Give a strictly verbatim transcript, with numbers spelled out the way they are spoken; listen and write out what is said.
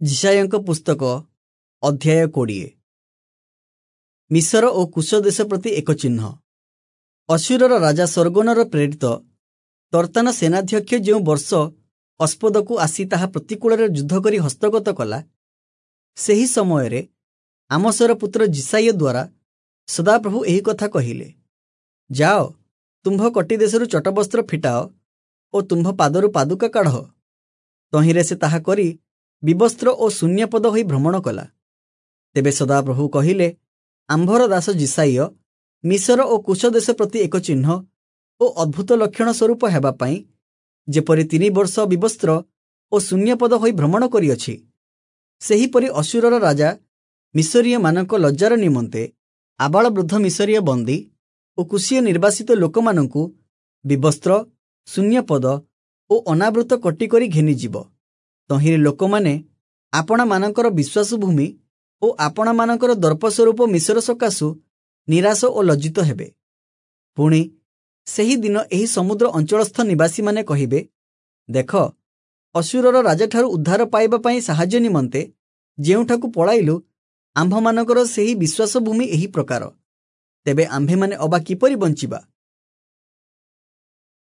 ଯିଶାଇୟଙ୍କ ପୁସ୍ତକ ଅଧ୍ୟାୟ କୋଡ଼ିଏ। ମିଶର ଓ କୁଶ ଦେଶ ପ୍ରତି ଏକ ଚିହ୍ନ। ଅଶୂରର ରାଜା ସର୍ଗୋନର ପ୍ରେରିତ ତର୍ତ୍ତାନ ସେନାଧ୍ୟକ୍ଷ ଯେଉଁ ବର୍ଷ ଅସ୍ପଦକୁ ଆସି ତାହା ପ୍ରତିକୂଳରେ ଯୁଦ୍ଧ କରି ହସ୍ତଗତ କଲା, ସେହି ସମୟରେ ଆମୋସର ପୁତ୍ର ଯିଶାଇୟ ଦ୍ୱାରା ସଦାପ୍ରଭୁ ଏହି କଥା କହିଲେ, ଯାଅ, ତୁମ୍ଭ କଟିଦେଶରୁ ଚଟବସ୍ତ୍ର ଫିଟାଅ ଓ ତୁମ୍ଭ ପାଦରୁ ପାଦୁକା କାଢ଼। ତହିଁରେ ସେ ତାହା କରି ବିବସ୍ତ୍ର ଓ ଶୂନ୍ୟପଦ ହୋଇ ଭ୍ରମଣ କଲା। ତେବେ ସଦାପ୍ରଭୁ କହିଲେ, ଆମ୍ଭର ଦାସ ଯିଶାଇୟ ମିଶର ଓ କୁଶ ଦେଶ ପ୍ରତି ଏକ ଚିହ୍ନ ଓ ଅଦ୍ଭୁତ ଲକ୍ଷଣ ସ୍ୱରୂପ ହେବା ପାଇଁ ଯେପରି ତିନି ବର୍ଷ ବିବସ୍ତ୍ର ଓ ଶୂନ୍ୟପଦ ହୋଇ ଭ୍ରମଣ କରିଅଛି, ସେହିପରି ଅଶୂରର ରାଜା ମିଶରୀୟମାନଙ୍କ ଲଜ୍ଜାର ନିମନ୍ତେ ଆବାଳ ବୃଦ୍ଧ ମିଶରୀୟ ବନ୍ଦୀ ଓ କୁଶୀୟ ନିର୍ବାସିତ ଲୋକମାନଙ୍କୁ ବିବସ୍ତ୍ର, ଶୂନ୍ୟପଦ ଓ ଅନାବୃତ କଟି କରି ଘେନିଯିବ। ତହିଁରେ ଲୋକମାନେ ଆପଣାମାନଙ୍କର ବିଶ୍ୱାସଭୂମି ଓ ଆପଣାମାନଙ୍କର ଦର୍ପ ସ୍ୱରୂପ ମିଶର ସକାଶୁ ନିରାଶ ଓ ଲଜ୍ଜିତ ହେବେ। ପୁଣି ସେହି ଦିନ ଏହି ସମୁଦ୍ର ଅଞ୍ଚଳସ୍ଥ ନିବାସୀମାନେ କହିବେ, ଦେଖ, ଅଶୂରର ରାଜାଠାରୁ ଉଦ୍ଧାର ପାଇବା ପାଇଁ ସାହାଯ୍ୟ ନିମନ୍ତେ ଯେଉଁଠାକୁ ପଳାଇଲୁ, ଆମ୍ଭମାନଙ୍କର ସେହି ବିଶ୍ୱାସଭୂମି ଏହି ପ୍ରକାର। ତେବେ ଆମ୍ଭେମାନେ ଅବା କିପରି ବଞ୍ଚିବା?